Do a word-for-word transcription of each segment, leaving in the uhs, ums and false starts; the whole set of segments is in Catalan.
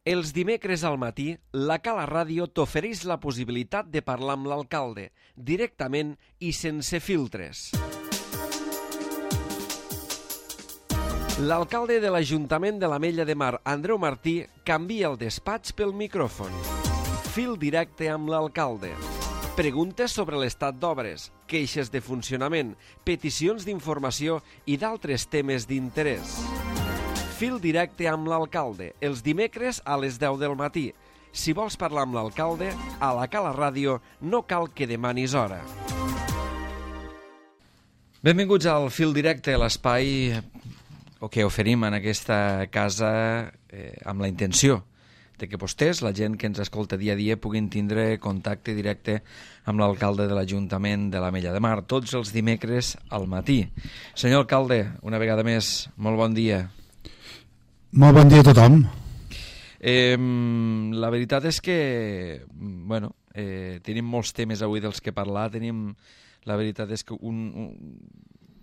Els dimecres al matí, la Cala Ràdio t'ofereix la possibilitat de parlar amb l'alcalde, directament i sense filtres. L'alcalde de l'Ajuntament de l'Ametlla de Mar, Andreu Martí, canvia el despatx pel micròfon. Fil directe amb l'alcalde. Preguntes sobre l'estat d'obres, queixes de funcionament, peticions d'informació i d'altres temes d'interès. Fil directe amb l'alcalde, els dimecres a les deu del matí. Si vols parlar amb l'alcalde, a la Cala Ràdio no cal que demanis hora. Benvinguts al Fil directe, l'espai que oferim en aquesta casa eh, amb la intenció de que vostès, la gent que ens escolta dia a dia, puguin tindre contacte directe amb l'alcalde de l'Ajuntament de l'Ametlla de Mar, tots els dimecres al matí. Senyor alcalde, una vegada més, molt bon dia. Molt bon dia a tothom. Eh, la veritat és que, bueno, eh, tenim molts temes avui dels que parlar, tenim, la veritat és que un, un,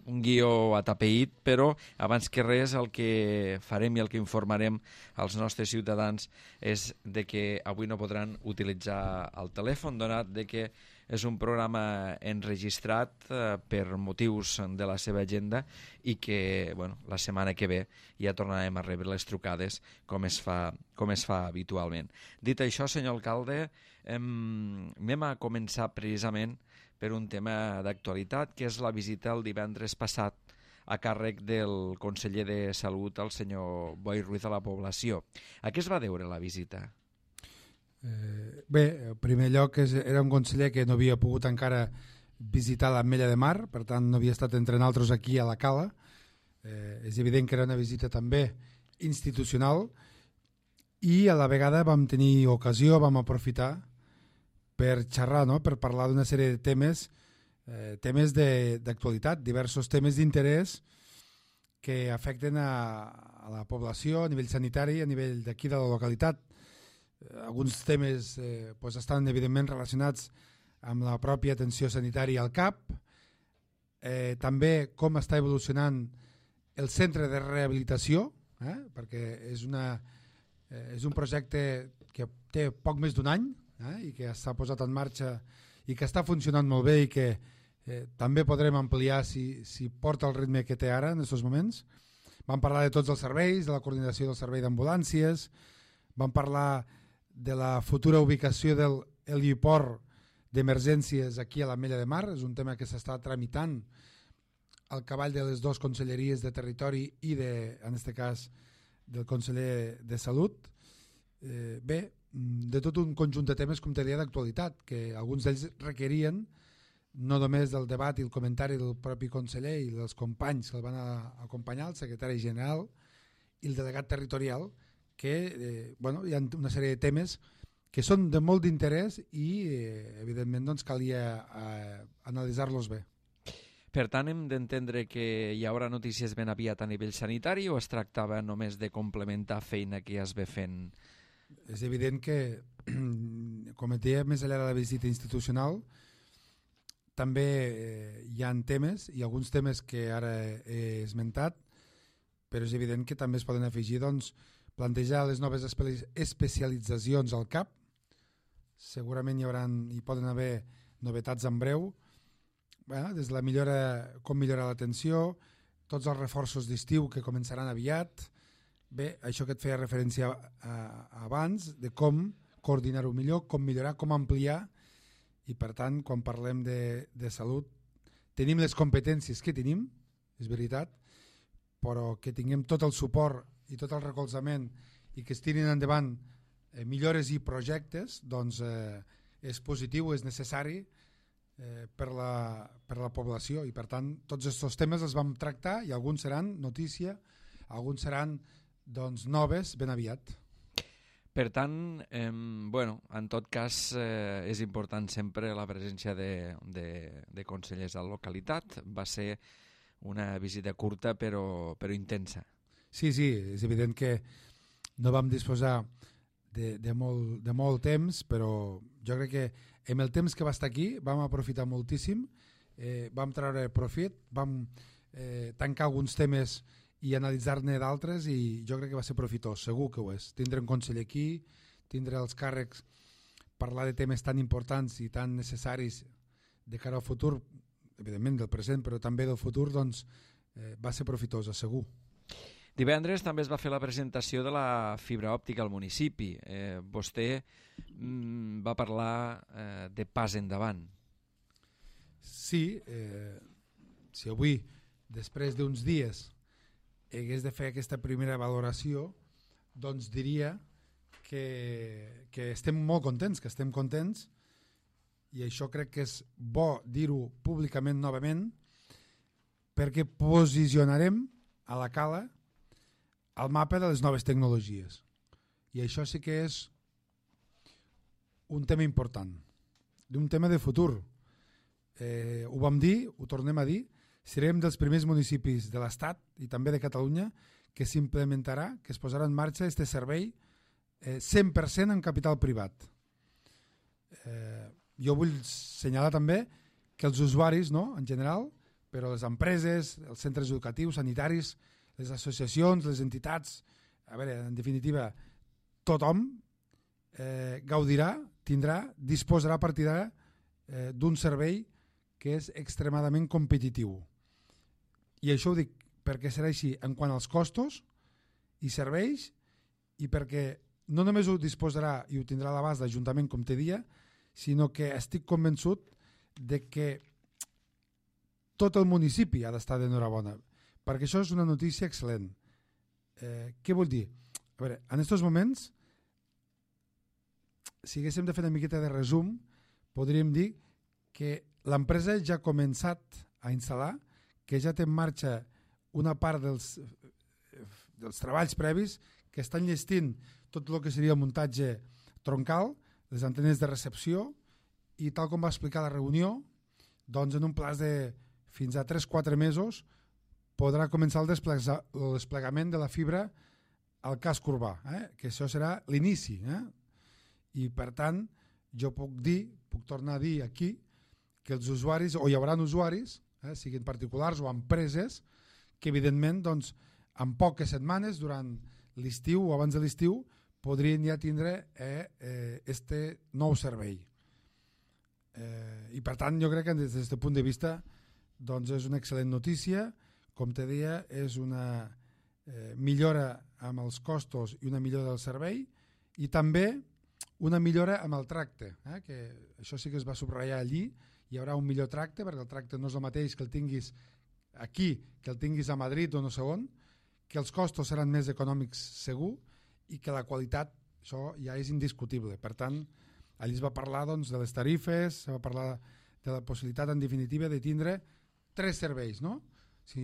un guió atapeït, però abans que res el que farem i el que informarem als nostres ciutadans és de que avui no podran utilitzar el telèfon, donat de que és un programa enregistrat eh, per motius de la seva agenda i que bueno, la setmana que ve ja tornarem a rebre les trucades com es fa, com es fa habitualment. Dit això, senyor alcalde, hem, anem a començar precisament per un tema d'actualitat, que és la visita el divendres passat a càrrec del conseller de Salut, el senyor Boi Ruiz, a la població. A què es va deure la visita? Eh, bé, en primer lloc és, era un conseller que no havia pogut encara visitar l'Ametlla de Mar, per tant no havia estat entre nosaltres aquí a la Cala. Eh, és evident que era una visita també institucional i a la vegada vam tenir ocasió, vam aprofitar per xerrar, no? Per parlar d'una sèrie de temes, eh, temes d'actualitat, diversos temes d'interès que afecten a, a la població a nivell sanitari, a nivell d'aquí de la localitat. Alguns temes eh, pues estan evidentment relacionats amb la pròpia atenció sanitària al C A P, eh, també com està evolucionant el centre de rehabilitació, eh, perquè és, una, eh, és un projecte que té poc més d'un any eh, i que s'ha posat en marxa i que està funcionant molt bé i que eh, també podrem ampliar si, si porta el ritme que té ara en aquests moments. Vam parlar de tots els serveis, de la coordinació del servei d'ambulàncies, vam parlar de la futura ubicació del heliport d'emergències aquí a l'Ametlla de Mar. És un tema que s'està tramitant al cavall de les dues conselleries de territori i, de, en aquest cas, del conseller de Salut. Eh, bé, de tot un conjunt de temes, com te deia, d'actualitat, que alguns d'ells requerien no només del debat i el comentari del propi conseller i dels companys que el van a acompanyar, el secretari general i el delegat territorial, que eh, bueno, hi ha una sèrie de temes que són de molt d'interès i eh, evidentment doncs, calia eh, analitzar-los bé. Per tant, hem d'entendre que hi haurà notícies ben aviat a nivell sanitari o es tractava només de complementar feina que ja es ve fent? És evident que, com et deia, més enllà de la visita institucional, també eh, hi ha temes, i alguns temes que ara he esmentat, però és evident que també es poden afegir, doncs, plantejar les noves especialitzacions al C A P. Segurament hi, hauran, hi poden haver novetats en breu, eh, des de la millora, com millorar l'atenció, tots els reforços d'estiu que començaran aviat. Bé, això que et feia referència a, a, abans, de com coordinar-ho millor, com millorar, com ampliar, i per tant, quan parlem de, de salut, tenim les competències que tenim, és veritat, però que tinguem tot el suport i tot el recolzament i que es tirin endavant eh, millores i projectes, doncs eh, és positiu, és necessari eh, per, la, per la població, i per tant tots aquests temes els vam tractar i alguns seran notícia, alguns seran doncs, noves ben aviat. Per tant, eh, bueno, en tot cas eh, és important sempre la presència de, de, de consellers a la localitat. Va ser una visita curta però, però intensa. Sí, sí, és evident que no vam disposar de, de, molt, de molt temps, però jo crec que amb el temps que va estar aquí vam aprofitar moltíssim, eh, vam treure profit, vam eh, tancar alguns temes i analitzar-ne d'altres, i jo crec que va ser profitós, segur que ho és. Tindre un conseller aquí, tindre els càrrecs, parlar de temes tan importants i tan necessaris de cara al futur, evidentment del present, però també del futur, doncs eh, va ser profitosa, segur. Divendres també es va fer la presentació de la fibra òptica al municipi. Eh, vostè mm, va parlar eh, de pas endavant. Sí, eh, si avui, després d'uns dies, hagués de fer aquesta primera valoració, doncs diria que, que estem molt contents, que estem contents, i això crec que és bo dir-ho públicament novament, perquè posicionarem a la Cala al mapa de les noves tecnologies. I això sí que és un tema important, un tema de futur. Eh, ho vam dir, ho tornem a dir, serem dels primers municipis de l'Estat i també de Catalunya que s'implementarà, que es posarà en marxa aquest servei eh, cent per cent en capital privat. Eh, jo vull assenyalar també que els usuaris, no, en general, però les empreses, els centres educatius, sanitaris, les associacions, les entitats, a veure, en definitiva, tothom eh, gaudirà, tindrà, disposarà a partir d'ara eh, d'un servei que és extremadament competitiu. I això ho dic perquè serà així en quant als costos i serveis, i perquè no només ho disposarà i ho tindrà a l'abast l'Ajuntament, com te dia, sinó que estic convençut de que tot el municipi ha d'estar d'enhorabona, perquè això és una notícia excel·lent. Eh, què vol dir? A veure, en aquests moments, si haguéssim de fer una miqueta de resum, podríem dir que l'empresa ja ha començat a instal·lar, que ja té en marxa una part dels, dels treballs previs, que estan llestint tot el que seria el muntatge troncal, les antenes de recepció, i tal com va explicar a la reunió, doncs en un plaç de fins a tres a quatre mesos podrà començar el, el desplegament de la fibra al casc urbà, eh? Que això serà l'inici. Eh? I per tant, jo puc dir, puc tornar a dir aquí, que els usuaris, o hi haurà usuaris, eh, siguin particulars o empreses, que evidentment doncs, en poques setmanes, durant l'estiu o abans de l'estiu, podrien ja tindre eh, eh, este nou servei. Eh, I per tant, jo crec que des d'aquest punt de vista doncs és una excel·lent notícia. Com te deia, és una eh, millora amb els costos i una millora del servei, i també una millora amb el tracte, eh? Que això sí que es va subratllar allí. Hi haurà un millor tracte, perquè el tracte no és el mateix que el tinguis aquí, que el tinguis a Madrid o no sé on, que els costos seran més econòmics segur, i que la qualitat, això ja és indiscutible. Per tant, allí es va parlar doncs, de les tarifes, es va parlar de la possibilitat en definitiva de tindre tres serveis, no? Si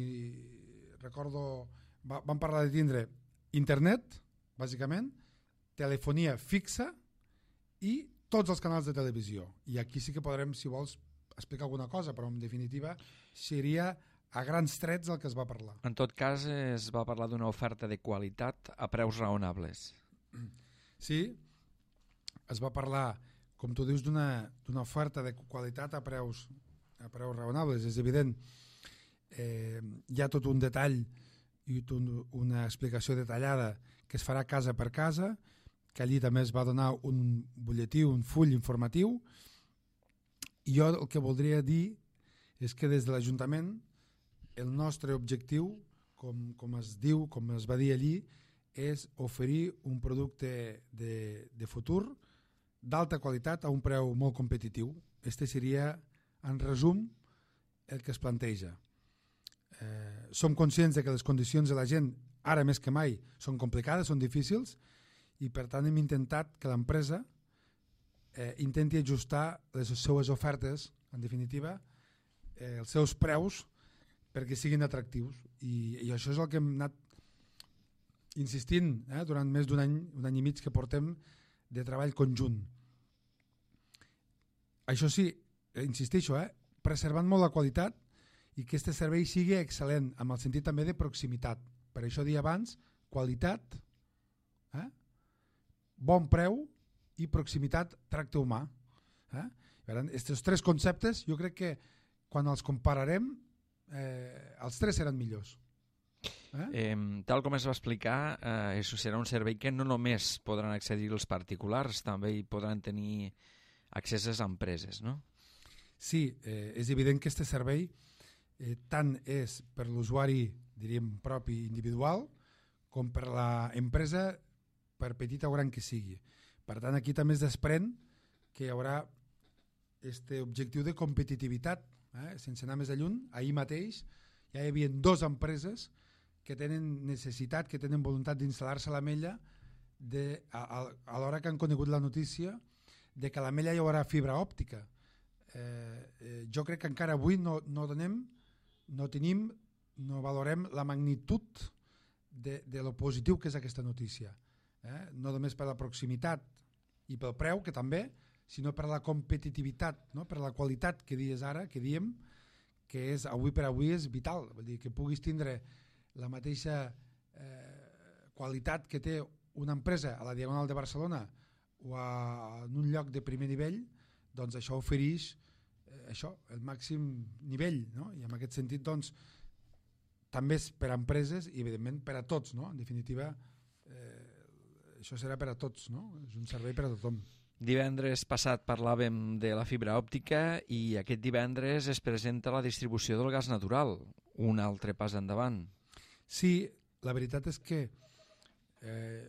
recordo, va, vam parlar de tindre internet, bàsicament, telefonia fixa i tots els canals de televisió. I aquí sí que podrem, si vols, explicar alguna cosa, però en definitiva seria a grans trets el que es va parlar. En tot cas, es va parlar d'una oferta de qualitat a preus raonables. Sí, es va parlar, com tu dius, d'una d'una oferta de qualitat a preus, a preus raonables. És evident, eh, hi ha tot un detall i tot una explicació detallada que es farà casa per casa, que allí també es va donar un butlletí, un full informatiu, i jo el que voldria dir és que des de l'Ajuntament el nostre objectiu, com, com es diu, com es va dir allí, és oferir un producte de, de futur d'alta qualitat a un preu molt competitiu. Este seria, en resum, el que es planteja. Eh, som conscients de que les condicions de la gent, ara més que mai, són complicades, són difícils, i per tant hem intentat que l'empresa eh, intenti ajustar les seues ofertes, en definitiva, eh, els seus preus, perquè siguin atractius. I, i això és el que hem anat insistint eh, durant més d'un any, un any i mig que portem de treball conjunt. Això sí, insisteixo, eh, preservant molt la qualitat i que aquest servei sigui excel·lent, amb el sentit també de proximitat. Per això dia abans, qualitat, eh, bon preu i proximitat, tracte humà. Eh? Aquests tres conceptes jo crec que quan els compararem eh, els tres seran millors. Eh? Eh, tal com es va explicar, eh, això serà un servei que no només podran accedir els particulars, també hi podran tenir accés a les empreses, no? Sí, eh, és evident que aquest servei eh, tant és per l'usuari, diríem, propi individual, com per l'empresa, per petita o gran que sigui. Per tant, aquí també es desprèn que hi haurà aquest objectiu de competitivitat. Eh? Sense anar més lluny, ahir mateix ja hi havia dues empreses que tenen necessitat, que tenen voluntat d'instal·lar-se a l'Ametlla de, a, a, a l'hora que han conegut la notícia de que a l'Ametlla hi haurà fibra òptica. Eh, eh, jo crec que encara avui no, no donem, no tenim, no valorem la magnitud de, de lo positiu que és aquesta notícia. Eh? No només per la proximitat i pel preu, que també, sinó per la competitivitat, no? Per la qualitat que dies ara, que diem, que és avui per avui és vital. Vull dir, que puguis tindre la mateixa eh, qualitat que té una empresa a la Diagonal de Barcelona o a, en un lloc de primer nivell, doncs això ofereix eh, això, el màxim nivell, no? I en aquest sentit doncs també és per a empreses i evidentment per a tots, no? En definitiva eh, això serà per a tots, no? És un servei per a tothom. Divendres passat parlàvem de la fibra òptica i aquest divendres es presenta la distribució del gas natural, un altre pas endavant. Sí, la veritat és que eh,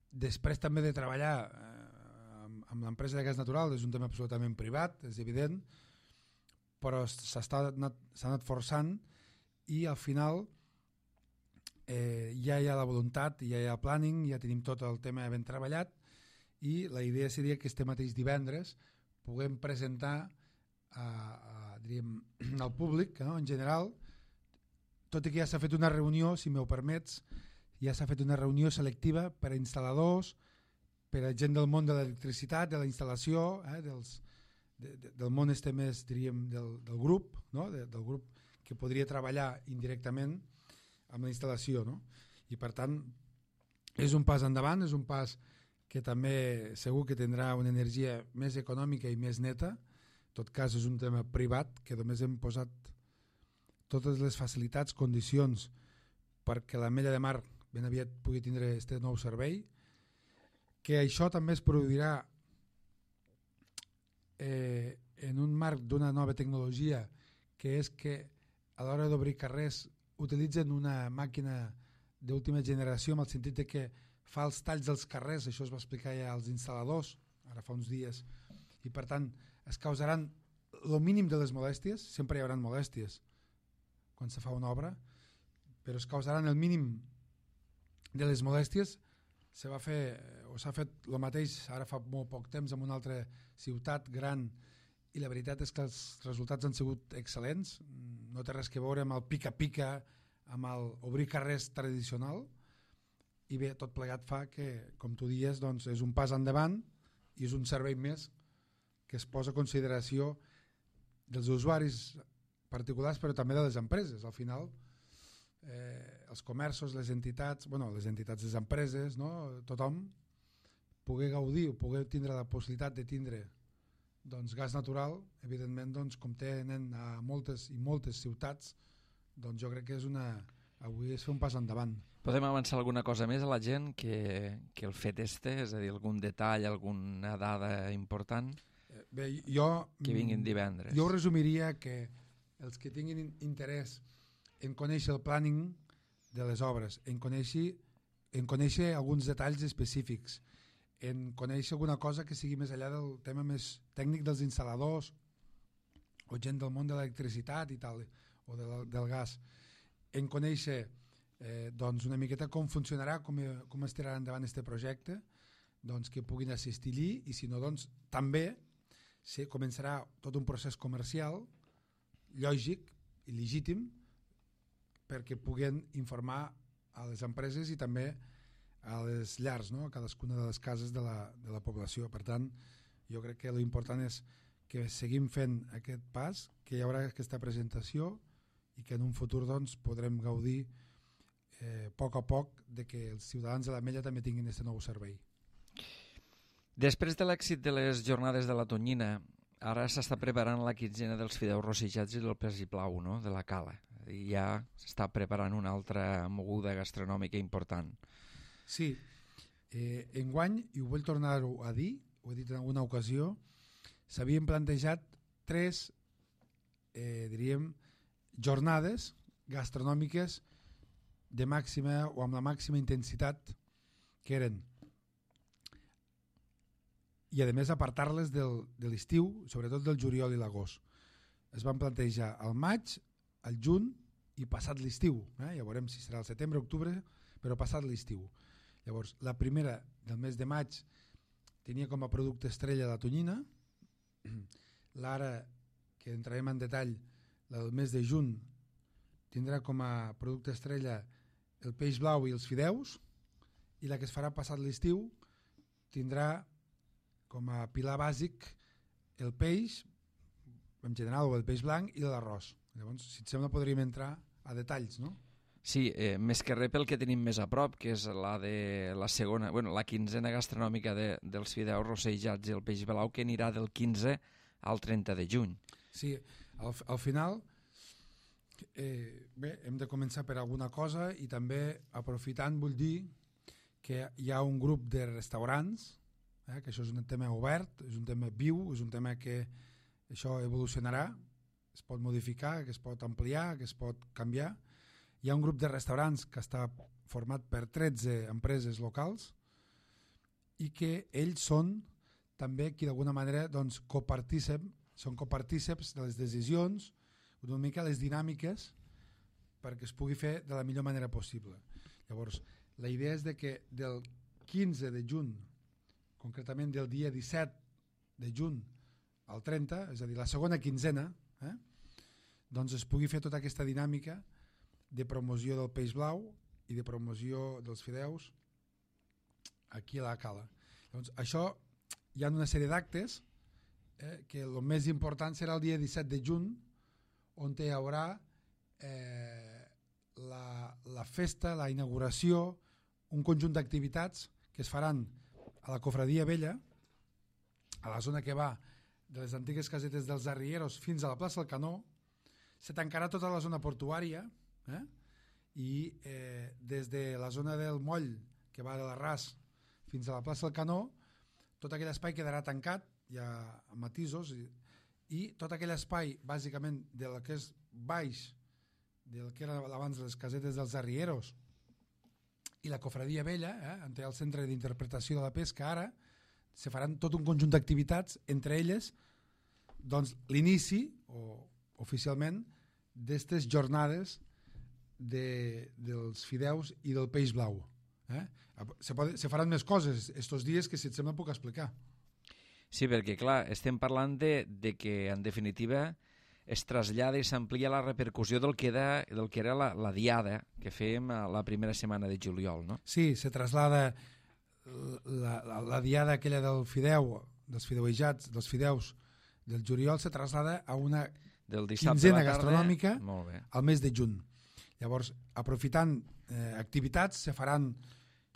després també de treballar eh, amb, amb l'empresa de gas natural, és un tema absolutament privat, és evident, però s'ha anat, s'ha anat forçant i al final eh, ja hi ha la voluntat, ja hi ha el planning, ja tenim tot el tema ben treballat i la idea seria que este mateix divendres puguem presentar a, a, diríem, al públic, no? En general, tot i que ja s'ha fet una reunió, si m'ho permets, ja s'ha fet una reunió selectiva per a instal·ladors, per a gent del món de l'electricitat, de la instal·lació, eh, dels, de, de, del món este més, diríem, del, del grup, no? de, del grup que podria treballar indirectament amb la instal·lació. No? I per tant, és un pas endavant, és un pas que també segur que tindrà una energia més econòmica i més neta. En tot cas, és un tema privat que només hem posat totes les facilitats, condicions perquè l'Ametlla de Mar ben aviat pugui tindre aquest nou servei, que això també es produirà eh, en un marc d'una nova tecnologia, que és que a l'hora d'obrir carrers utilitzen una màquina d'última generació, en el sentit de que fa els talls dels carrers, això es va explicar ja als instal·ladors ara fa uns dies, i per tant es causaran el mínim de les molèsties, sempre hi haurà molèsties quan se fa una obra, però es causaran el mínim de les molèsties. Se va fer, o s'ha fet el mateix ara fa molt poc temps en una altra ciutat gran i la veritat és que els resultats han sigut excel·lents, no té res que veure amb el pica-pica, amb el obrir carrers tradicional, i bé, tot plegat fa que, com tu dies, doncs, és un pas endavant i és un servei més que es posa a consideració dels usuaris particulars però també de les empreses. Al final eh, els comerços, les entitats, bueno, les entitats, les empreses, no? Tothom poder gaudir o poder tindre la possibilitat de tindre doncs, gas natural, evidentment doncs, com tenen a moltes i moltes ciutats, doncs jo crec que és una... avui és fer un pas endavant. Podem avançar alguna cosa més a la gent que, que el fet este, és a dir, algun detall, alguna dada important? Bé, jo... Que vinguin divendres. Jo resumiria que els que tinguin interès en conèixer el planning de les obres, en conèixer, en conèixer alguns detalls específics, en conèixer alguna cosa que sigui més enllà del tema més tècnic dels instal·ladors o gent del món de l'electricitat i tal, o de la, del gas, en conèixer eh, doncs una miqueta com funcionarà, com, com es tirarà endavant aquest projecte, doncs que puguin assistir-hi i si no, doncs també se començarà tot un procés comercial lògic i legítim perquè puguen informar a les empreses i també a les llars, no? A cadascuna de les cases de la, de la població. Per tant, jo crec que l'important és que seguim fent aquest pas, que hi haurà aquesta presentació i que en un futur doncs, podrem gaudir eh, a poc a poc de que els ciutadans de l'Ametlla també tinguin aquest nou servei. Després de l'èxit de les jornades de la Tonyina, ara s'està preparant la quinzena dels fideus rossijats i del pes i plau, no? De la cala. i ja s'està preparant una altra moguda gastronòmica important. Sí, eh, enguany, i ho vull tornar a dir, ho he dit en alguna ocasió, s'havien plantejat tres, eh, diríem, jornades gastronòmiques de màxima o amb la màxima intensitat, que eren, i a més apartar-les del, de l'estiu, sobretot del juliol i l'agost. Es van plantejar al maig, al juny i passat l'estiu. Eh? Ja veurem si serà el setembre, octubre, però passat l'estiu. Llavors, la primera del mes de maig tenia com a producte estrella la tonyina. L'ara, que entrarem en detall, la del mes de juny tindrà com a producte estrella el peix blau i els fideus, i la que es farà passat l'estiu tindrà com a pilar bàsic el peix, en general, o el peix blanc i l'arròs. Llavors, si et sembla, podríem entrar a detalls, no? Sí, eh, més que res pel que tenim més a prop, que és la de la segona, bueno, la quinzena gastronòmica de, dels fideus rossejats i el peix blau, que anirà del quinze al trenta de juny. Sí, al, al final, eh, bé, hem de començar per alguna cosa, i també, aprofitant, vull dir que hi ha un grup de restaurants, eh, que això és un tema obert, és un tema viu, és un tema que això evolucionarà, es pot modificar, que es pot ampliar, que es pot canviar. Hi ha un grup de restaurants que està format per tretze empreses locals i que ells són també qui d'alguna manera doncs, copartíceps, són copartíceps de les decisions, una mica les dinàmiques perquè es pugui fer de la millor manera possible. Llavors, la idea és de que del quinze de juny, concretament del dia disset de juny al trenta, és a dir, la segona quinzena, eh, doncs es pugui fer tota aquesta dinàmica de promoció del peix blau i de promoció dels fideus aquí a la Cala. Llavors, això hi ha una sèrie d'actes, eh, que el més important serà el dia disset de juny, on hi haurà eh, la, la festa, la inauguració, un conjunt d'activitats que es faran a la Cofradia Vella, a la zona que va de les antigues casetes dels Arrieros fins a la plaça del Canó. Se tancarà tota la zona portuària, eh? i eh, des de la zona del moll, que va de l'Arràs fins a la plaça del Canó, tot aquell espai quedarà tancat, hi ha matisos, i, i tot aquell espai, bàsicament, del que és baix, del que era abans les casetes dels Arrieros, i la Cofradia Vella, eh, on té el centre d'interpretació de la pesca ara, se faran tot un conjunt d'activitats, entre elles doncs, l'inici, o oficialment, d'aquestes jornades de, dels fideus i del peix blau. Eh? Se, pot, se faran més coses estos dies que, si et sembla, puc explicar. Sí, perquè, clar, estem parlant de, de que, en definitiva, es trasllada i s'amplia la repercussió del que era, del que era la, la diada que fèiem a la primera setmana de juliol, no? Sí, se traslada la, la, la diada aquella del fideu, dels fideuejats, dels fideus del juliol, se traslada a una del dissabte quinzena a la tarda, gastronòmica molt bé, al mes de juny. Llavors, aprofitant eh, activitats, se faran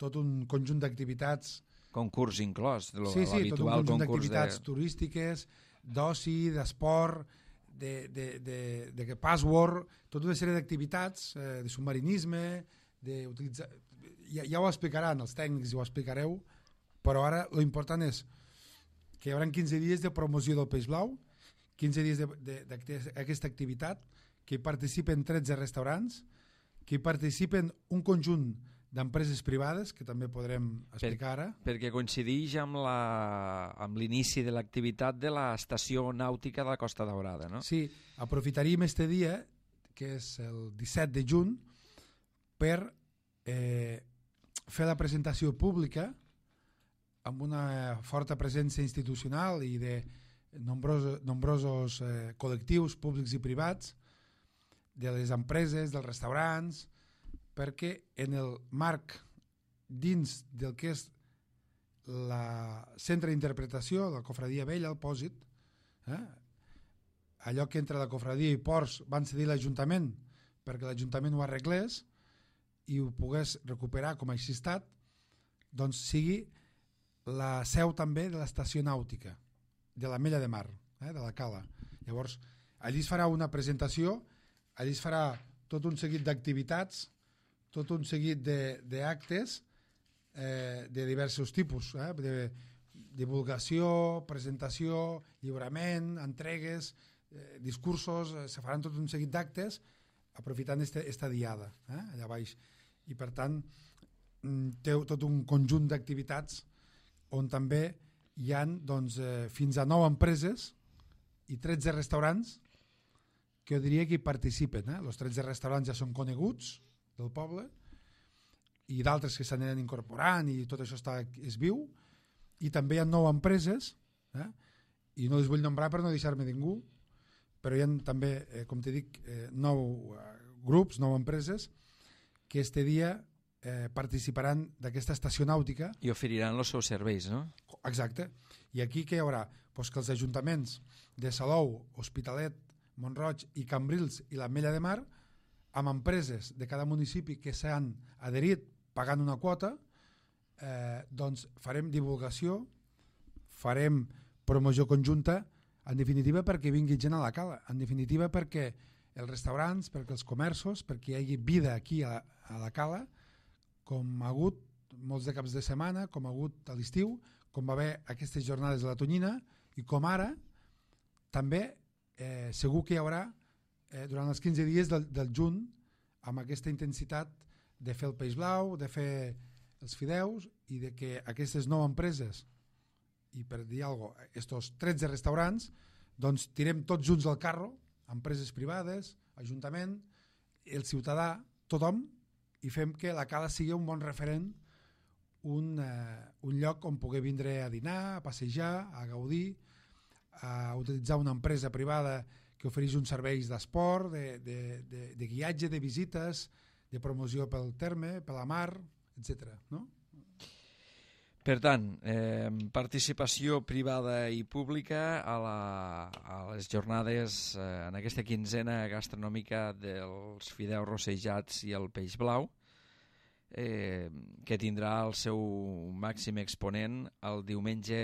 tot un conjunt d'activitats. Concurs inclòs, lo, sí, sí, tot un conjunt d'activitats de... turístiques, d'oci, d'esport, de, de, de, de, de password, tota una sèrie d'activitats, eh, de submarinisme, d'utilitzar... Ja, ja ho explicaran els tècnics, ho explicareu, però ara l'important és que hi haurà quinze dies de promoció del peix blau, quinze dies d'aquesta activitat, que hi participen tretze restaurants, que hi participen un conjunt d'empreses privades, que també podrem explicar ara. Per, perquè coincideix amb la, amb l'inici de l'activitat de l'estació nàutica de la Costa Daurada, no? Sí, aprofitaríem este dia, que és el disset de juny, per eh, fer la presentació pública amb una forta presència institucional i de nombrosos, nombrosos eh, col·lectius públics i privats, de les empreses, dels restaurants, perquè en el marc dins del que és la centre d'interpretació, la Cofradia Vella, el Pòsit, eh, allò que entre la Cofradia i Ports van cedir l'Ajuntament perquè l'Ajuntament ho arreglés i ho pogués recuperar com a estat, doncs sigui la seu també de l'estació nàutica de la Mella de Mar, eh, de la Cala. Llavors, allí es farà una presentació, allí es farà tot un seguit d'activitats, tot un seguit d'actes eh, de diversos tipus, eh, de divulgació, presentació, lliurament, entregues, eh, discursos, eh, se faran tot un seguit d'actes aprofitant aquesta diada eh, allà baix. I per tant té tot un conjunt d'activitats on també hi ha doncs, eh, fins a nou empreses i tretze restaurants que jo diria que hi participen. Eh? Els tretze restaurants ja són coneguts del poble i d'altres que s'aniran incorporant i tot això està, és viu, i també hi ha nou empreses eh? i no les vull nombrar per no deixar-me ningú, però hi ha també, eh, com te dic, eh, nou eh, grups, nou empreses que este dia eh, participaran d'aquesta estació nàutica. I oferiran els seus serveis, no? Exacte. I aquí què hi haurà? Pues que els ajuntaments de Salou, Hospitalet, Mont-roig i Cambrils i l'Ametlla de Mar, amb empreses de cada municipi que s'han adherit pagant una quota, eh, doncs farem divulgació, farem promoció conjunta, en definitiva perquè vingui gent a la cala, en definitiva perquè els restaurants, perquè els comerços, perquè hi hagi vida aquí a, a la cala, com ha hagut molts de caps de setmana, com ha hagut a l'estiu, com va haver aquestes jornades de la Tonyina, i com ara també eh, segur que hi haurà eh, durant els quinze dies del, del juny, amb aquesta intensitat de fer el peix blau, de fer els fideus, i de que aquestes nou empreses, i per dir alguna cosa, estos tretze restaurants, doncs tirem tots junts al carro, empreses privades, ajuntament, el ciutadà, tothom, i fem que la cala sigui un bon referent, un, eh, un lloc on poder vindre a dinar, a passejar, a gaudir, a utilitzar una empresa privada que ofereix uns serveis d'esport, de, de, de, de guiatge, de visites, de promoció pel terme, per la mar, etcètera. No? Per tant, eh, participació privada i pública a, la, a les jornades, eh, en aquesta quinzena gastronòmica dels fideus rossejats i el peix blau, eh, que tindrà el seu màxim exponent el diumenge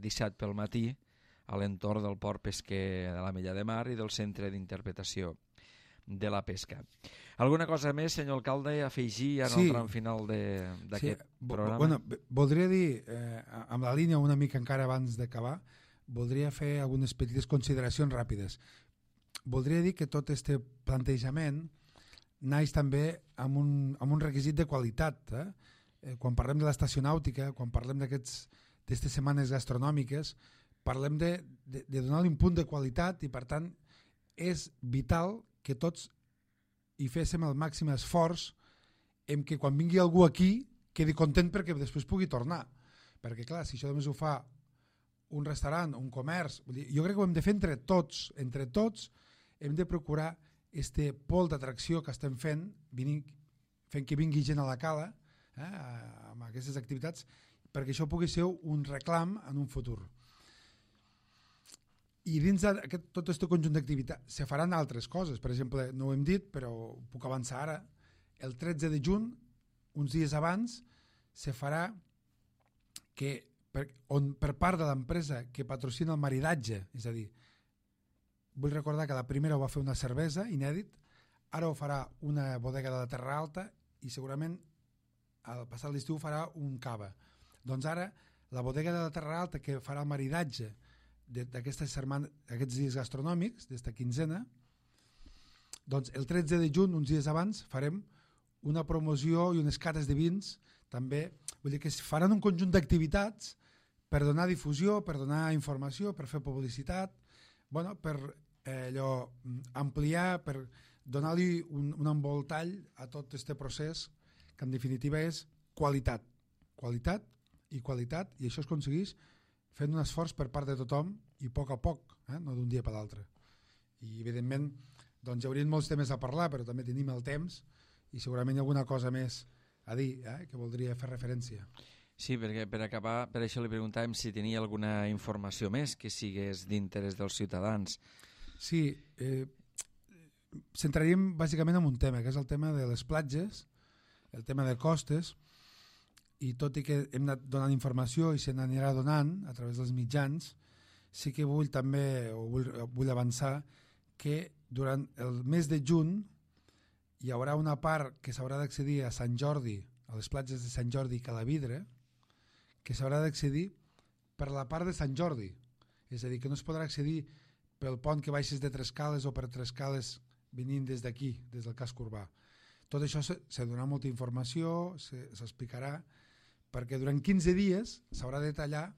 disset pel matí a l'entorn del port pesquer de l'Ametlla de Mar i del centre d'interpretació de la pesca. Alguna cosa més, senyor alcalde, a afegir en sí. el tram final d'aquest sí. programa? Bueno, voldria dir, eh, amb la línia una mica encara abans d'acabar, voldria fer algunes petites consideracions ràpides. Voldria dir que tot aquest plantejament naix també amb un, amb un requisit de qualitat. Eh? Eh, quan parlem de l'estació nàutica, quan parlem d'aquestes setmanes gastronòmiques, parlem de, de, de donar-li un punt de qualitat i, per tant, és vital que tots hi féssim el màxim esforç en que quan vingui algú aquí quedi content perquè després pugui tornar. Perquè, clar, si això només ho fa un restaurant, un comerç, vull dir, jo crec que ho hem de fer entre tots, entre tots hem de procurar este pol d'atracció que estem fent, vinint, fent que vingui gent a la cala, eh, amb aquestes activitats, perquè això pugui ser un reclam en un futur. I dins de tot aquest conjunt d'activitats se faran altres coses. Per exemple, no ho hem dit, però puc avançar ara, el tretze de juny, uns dies abans, se farà que per, on, per part de l'empresa que patrocina el maridatge, és a dir, vull recordar que la primera ho va fer una cervesa, inèdit, ara ho farà una bodega de la Terra Alta i segurament al passat l'estiu farà un cava. Doncs ara la bodega de la Terra Alta que farà el maridatge d'aquestes aquests dies gastronòmics, d'esta quinzena, doncs el tretze de juny, uns dies abans, farem una promoció i unes cates de vins, també, vull dir que es faran un conjunt d'activitats per donar difusió, per donar informació, per fer publicitat, bueno, per eh, allò, ampliar, per donar-li un, un envoltall a tot aquest procés, que en definitiva és qualitat, qualitat i qualitat, i això es aconsegueix fent un esforç per part de tothom i a poc a poc, eh? No d'un dia per l'altre. I evidentment doncs, hi haurien molts temes a parlar, però també tenim el temps i segurament hi ha alguna cosa més a dir eh? que voldria fer referència. Sí, perquè per acabar, per això li preguntàvem si tenia alguna informació més que sigués d'interès dels ciutadans. Sí, eh, centraríem bàsicament en un tema, que és el tema de les platges, el tema de costes, i tot i que hem anat donant informació i se n'anirà donant a través dels mitjans, sí que vull també, o vull, vull avançar, que durant el mes de juny hi haurà una part que s'haurà d'accedir a Sant Jordi, a les platges de Sant Jordi i Calavidre, que s'haurà d'accedir per la part de Sant Jordi. És a dir, que no es podrà accedir pel pont que baixes de Trescales o per Trescales venint des d'aquí, des del casc urbà. Tot això se, se donarà molta informació, s'explicarà, perquè durant quinze dies s'haurà de tallar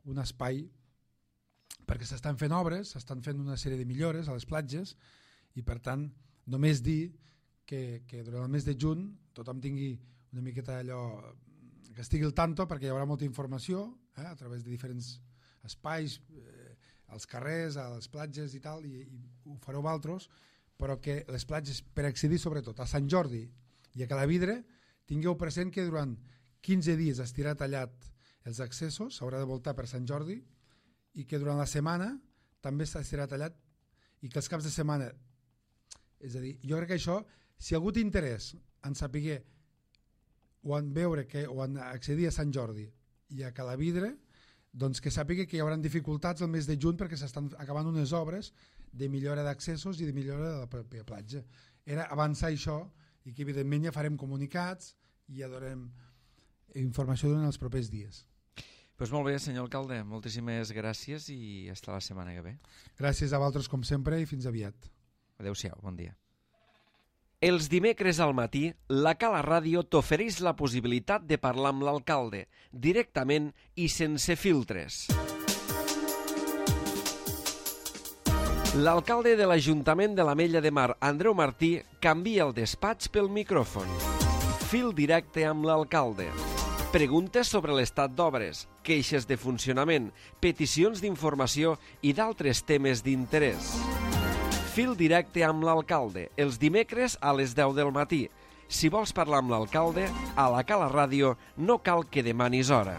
un espai, perquè s'estan fent obres, s'estan fent una sèrie de millores a les platges, i per tant només dir que, que durant el mes de juny tothom tingui una miqueta allò, que estigui al tanto, perquè hi haurà molta informació eh, a través de diferents espais, eh, als carrers, a les platges i tal, i, i ho fareu vosaltres, però que les platges, per accedir sobretot a Sant Jordi i a Calavidre, tingueu present que durant quinze dies estirà tallat els accessos, s'haurà de voltar per Sant Jordi, i que durant la setmana també estirà tallat, i que els caps de setmana, és a dir, jo crec que això, si hi ha hagut interès en saber o en veure que, o en accedir a Sant Jordi i a Calavidre, doncs que sàpiga que hi haurà dificultats el mes de juny perquè s'estan acabant unes obres de millora d'accessos i de millora de la pròpia platja. Era avançar això i que evidentment ja farem comunicats i ja donem informació durant els propers dies. Pues molt bé, senyor alcalde, moltíssimes gràcies i fins la setmana que ve. Gràcies a vosaltres com sempre i fins aviat. Adéu-siau, bon dia. Els dimecres al matí, la Cala Ràdio t'ofereix la possibilitat de parlar amb l'alcalde, directament i sense filtres. L'alcalde de l'Ajuntament de l'Ametlla de Mar, Andreu Martí, canvia el despatx pel micròfon. Fil directe amb l'alcalde. Preguntes sobre l'estat d'obres, queixes de funcionament, peticions d'informació i d'altres temes d'interès. Fil directe amb l'alcalde, els dimecres a les deu del matí. Si vols parlar amb l'alcalde, a la Cala Ràdio no cal que demanis hora.